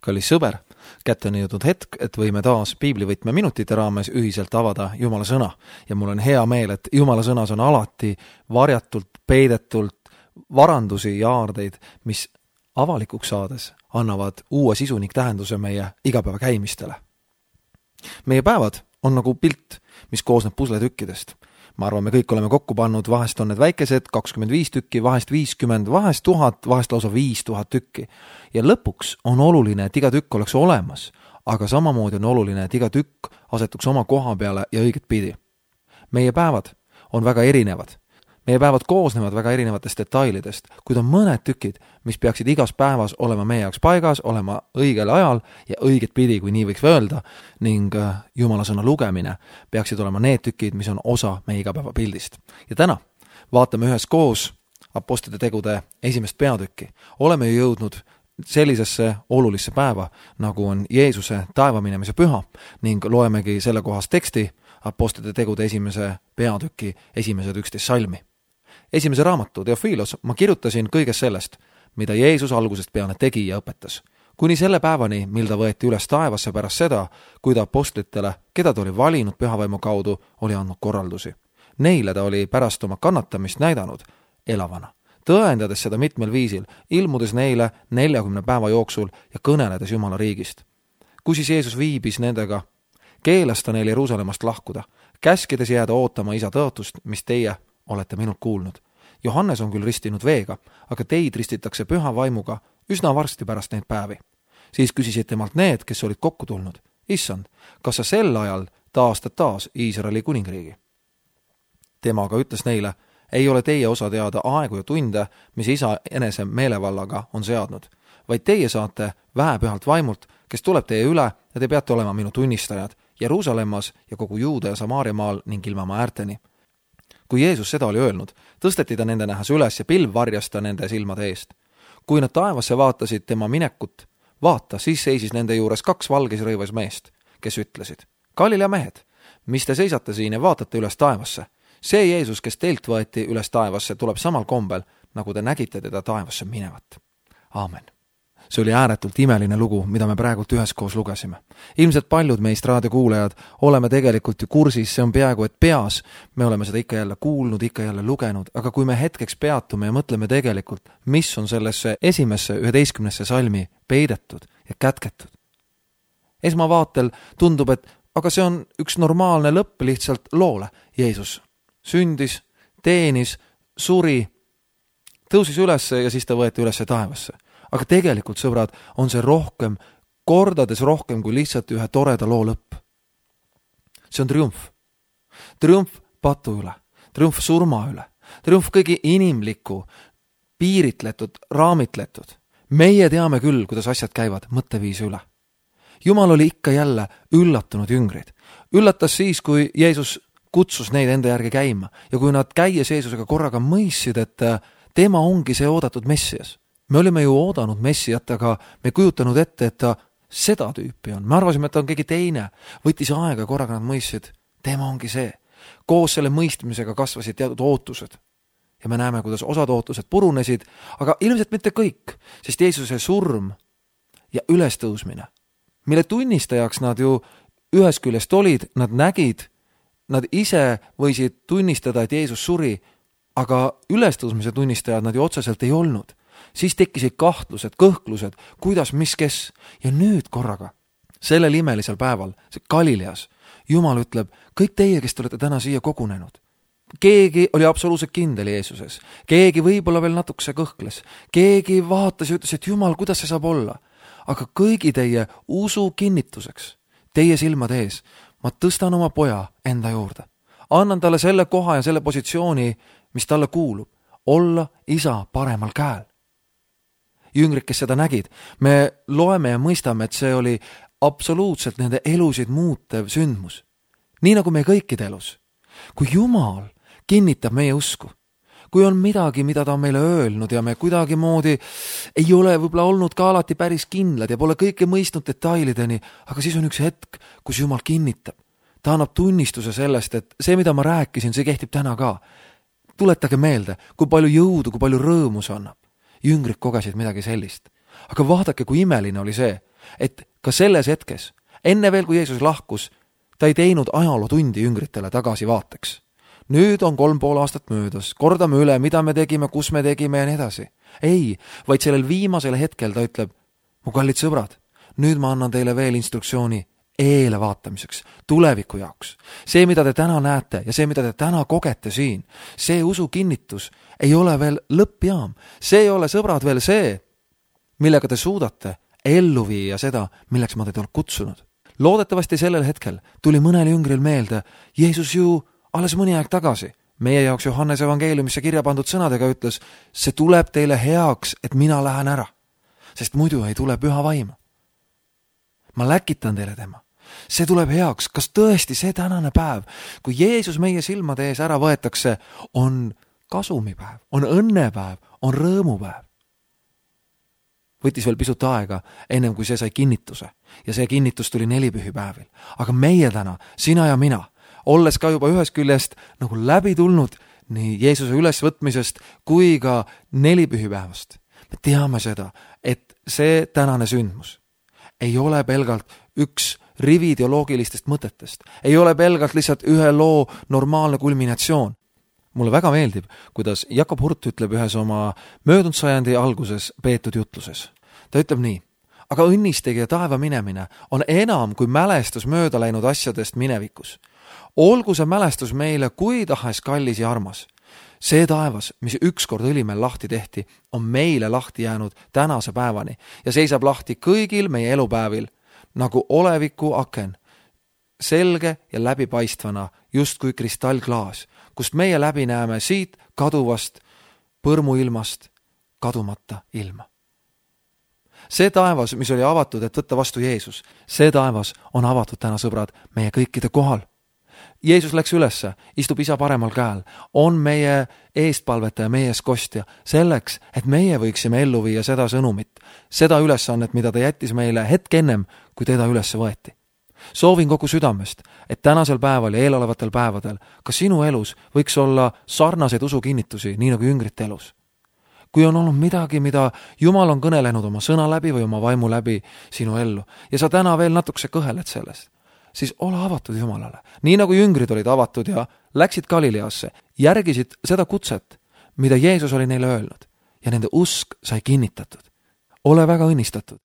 Kallis sõber, kätte on jõudnud hetk, et võime taas piiblivõtme minutite raames ühiselt avada Jumala sõna. Ja mul on hea meel, et Jumala sõnas on alati varjatult, peidetult varandusi ja aardeid, mis avalikuks saades annavad uue sisu ning tähenduse meie igapäeva käimistele. Meie päevad on nagu pilt, mis koosneb pusletükkidest. Ma arvan, me kõik oleme kokku pannud, vahest on need väikesed 25 tükki, vahest 50, vahest 1000, vahest lausa 5000 tükki. Ja lõpuks on oluline, et iga tükk oleks olemas, aga samamoodi on oluline, et iga tükk asetuks oma koha peale ja õiget pidi. Meie päevad on väga erinevad. Meie päevad koosnevad väga erinevatest detailidest, kuid on mõned tükid, mis peaksid igas päevas olema meie jaoks paigas, olema õigel ajal ja õiget pidi, kui nii võiks öelda, ning Jumala sõna lugemine peaksid olema need tükid, mis on osa meie igapäeva pildist. Ja täna vaatame üheskoos Apostlite tegude 1. peatükki. Oleme ju jõudnud sellisesse olulisse päeva, nagu on Jeesuse taevaminemise püha, ning loemegi selle kohas teksti Apostlite tegude 1. peatüki 11 salmi. Esimese raamatu Teofilos ma kirjutasin kõigest sellest, mida Jeesus algusest peale tegi ja õpetas. Kuni selle päevani, mil ta võeti üles taevasse pärast seda, kui ta apostlitele, keda ta oli valinud pühavaimu kaudu, oli andnud korraldusi. Neile ta oli pärast oma kannatamist näidanud elavana, tõendades seda mitmel viisil, ilmudes neile 40 päeva jooksul ja kõneledes Jumala riigist. Kui siis Jeesus viibis nendega, keelas ta neil Jeruusalemmast lahkuda, käskides jääda ootama isa tõotust, mis teie olete minult kuulnud. Johannes on küll ristinud veega, aga teid ristitakse püha vaimuga üsna varsti pärast neid päevi. Siis küsisid temalt need, kes olid kokku tulnud. Issand, kas sa sel ajal taastad taas Iisraeli kuningriigi? Tema aga ütles neile, ei ole teie osa teada aegu ja tunde, mis isa enese meelevallaga on seadnud, vaid teie saate väepühalt vaimult, kes tuleb teie üle ja te peate olema minu tunnistajad Jeruusalemmas ja kogu Juuda ja Samaaria maal ning ilmamaa äärteni. Kui Jeesus seda oli öelnud, tõsteti ta nende nähes üles ja pilv varjas ta nende silmade eest. Kui nad taevasse vaatasid tema minekut, vaata, siis seisis nende juures 2 valges rõivas meest, kes ütlesid, Galilea mehed, mis te seisate siin ja vaatate üles taevasse? See Jeesus, kes teilt võeti üles taevasse, tuleb samal kombel, nagu te nägite teda taevasse minevat. Aamen. See oli ääretult imeline lugu, mida me praegult üheskoos lugesime. Ilmselt paljud meist raadiokuulajad oleme tegelikult ju kursis, see on peaaegu et peas. Me oleme seda ikka jälle kuulnud, ikka jälle lugenud, aga kui me hetkeks peatume ja mõtleme tegelikult, mis on sellesse 11. salmi peidetud ja kätketud. Esmavaatel tundub, et aga see on üks normaalne lõpp lihtsalt loole. Jeesus sündis, teenis, suri, tõusis üles ja siis ta võeti üles taevasse. Aga tegelikult, sõbrad, on see rohkem, kordades rohkem kui lihtsalt ühe toreda loo lõpp. See on triumf. Triumf patu üle, triumf surma üle, triumf kõigi inimliku, piiritletud, raamitletud. Meie teame küll, kuidas asjad käivad mõtteviisi üle. Jumal oli ikka jälle üllatunud jüngrid. Üllatas siis, kui Jeesus kutsus neid enda järgi käima ja kui nad käies Jeesusega korraga mõistsid, et tema ongi see oodatud Messias. Me olime ju oodanud Messiat, aga me kujutanud ette, et ta seda tüüpi on. Me arvasime, et ta on keegi teine. Võttis aega, korraga nad mõistsid, tema ongi see. Koos selle mõistmisega kasvasid teatud ootused. Ja me näeme, kuidas osad ootused purunesid, aga ilmselt mitte kõik, sest Jeesuse surm ja ülestõusmine, mille tunnistajaks nad ju ühest küljest olid, nad nägid, nad ise võisid tunnistada, et Jeesus suri, aga ülestõusmise tunnistajad nad ju otseselt ei olnud. Siis tekkisid kahtlused, kõhklused, kuidas, mis, kes. Ja nüüd korraga, sellel imelisel päeval, see Galileas, Jumal ütleb, kõik teie, kes te olete täna siia kogunenud. Keegi oli absoluutselt kindel Jeesuses. Keegi võib-olla veel natukese kõhkles. Keegi vaatas ja ütles, et Jumal, kuidas see saab olla? Aga kõigi teie usu kinnituseks, teie silmade ees, ma tõstan oma poja enda juurde. Annan talle selle koha ja selle positsiooni, mis talle kuulub. Olla isa paremal käel. Jüngrid, kes seda nägid, me loeme ja mõistame, et see oli absoluutselt nende elusid muutev sündmus. Nii nagu meie kõikide elus. Kui Jumal kinnitab meie usku, kui on midagi, mida ta on meile öelnud ja me kuidagi moodi ei ole võib-olla olnud ka alati päris kindlad ja pole kõike mõistnud detailideni, aga siis on üks hetk, kus Jumal kinnitab. Ta annab tunnistuse sellest, et see, mida ma rääkisin, see kehtib täna ka. Tuletage meelde, kui palju jõudu, kui palju rõõmu see annab. Jüngrid kogesid midagi sellist. Aga vaadake, kui imeline oli see. et ka selles hetkes, enne veel kui Jeesus lahkus, ta ei teinud ajalootundi jüngritele tagasivaateks. Nüüd on 3,5 aastat möödas, kordame üle, mida me tegime, kus me tegime ja nii edasi. Ei, vaid sellel viimasel hetkel ta ütleb, mu kallid sõbrad, nüüd ma annan teile veel instruktsiooni eele vaatamiseks, tuleviku jaoks. See, mida te täna näete ja see, mida te täna kogete siin, see usu kinnitus ei ole veel lõppjaam. See ei ole, sõbrad, veel see, millega te suudate ellu viia seda, milleks ma teid olen kutsunud. Loodetavasti sellel hetkel tuli mõnel jüngril meelde, Jeesus ju alles mõni aeg tagasi meie jaoks Johannese evangeeliumisse kirja pandud sõnadega ütles, see tuleb teile heaks, et mina lähen ära, sest muidu ei tule püha vaimu. Ma läkitan teile tema. See tuleb heaks. Kas tõesti see tänane päev, kui Jeesus meie silmade ees ära võetakse, on kasumipäev, on õnnepäev, on rõõmupäev? Võttis veel pisut aega, ennem kui see sai kinnituse. Ja see kinnitus tuli nelipühipäevil. Aga meie täna, sina ja mina, olles ka juba ühest küljest nagu läbi tulnud nii Jeesuse ülesvõtmisest kui ka nelipühipäevast, me teame seda, et see tänane sündmus ei ole pelgalt üks rivi ideoloogilistest mõtetest, ei ole pelgalt lihtsalt ühe loo normaalne kulminatsioon. Mulle väga meeldib, kuidas Jakob Hurt ütleb ühes oma möödunud sajandi alguses peetud jutluses. Ta ütleb nii, aga õnnistegi ja taeva minemine on enam kui mälestus mööda läinud asjadest minevikus. Olgu see mälestus meile kui tahes kallis ja armas. See taevas, mis ükskord õlimel lahti tehti, on meile lahti jäänud tänase päevani ja seisab lahti kõigil meie elupäevil, nagu oleviku aken, selge ja läbipaistvana, just kui kristallklaas, kust meie läbi näeme siit kaduvast põrmuilmast kadumata ilma. See taevas, mis oli avatud, et võtta vastu Jeesus, see taevas on avatud täna, sõbrad, meie kõikide kohal. Jeesus läks ülesse, istub isa paremal käel, on meie eestpalvetaja, meie eeskostja, selleks, et meie võiksime ellu viia seda sõnumit, seda ülesannet, mida ta jättis meile hetk ennem, kui teda ülesse võeti. Soovin kogu südamest, et tänasel päeval ja eelolevatel päevadel ka sinu elus võiks olla sarnaseid usukinnitusi, nii nagu jüngrite elus. Kui on olnud midagi, mida Jumal on kõnelenud oma sõna läbi või oma vaimu läbi sinu ellu ja sa täna veel natukese kõheled sellest, siis ole avatud Jumalale. Nii nagu jüngrid olid avatud ja läksid Galileasse, järgisid seda kutset, mida Jeesus oli neile öelnud ja nende usk sai kinnitatud. Ole väga õnnistatud.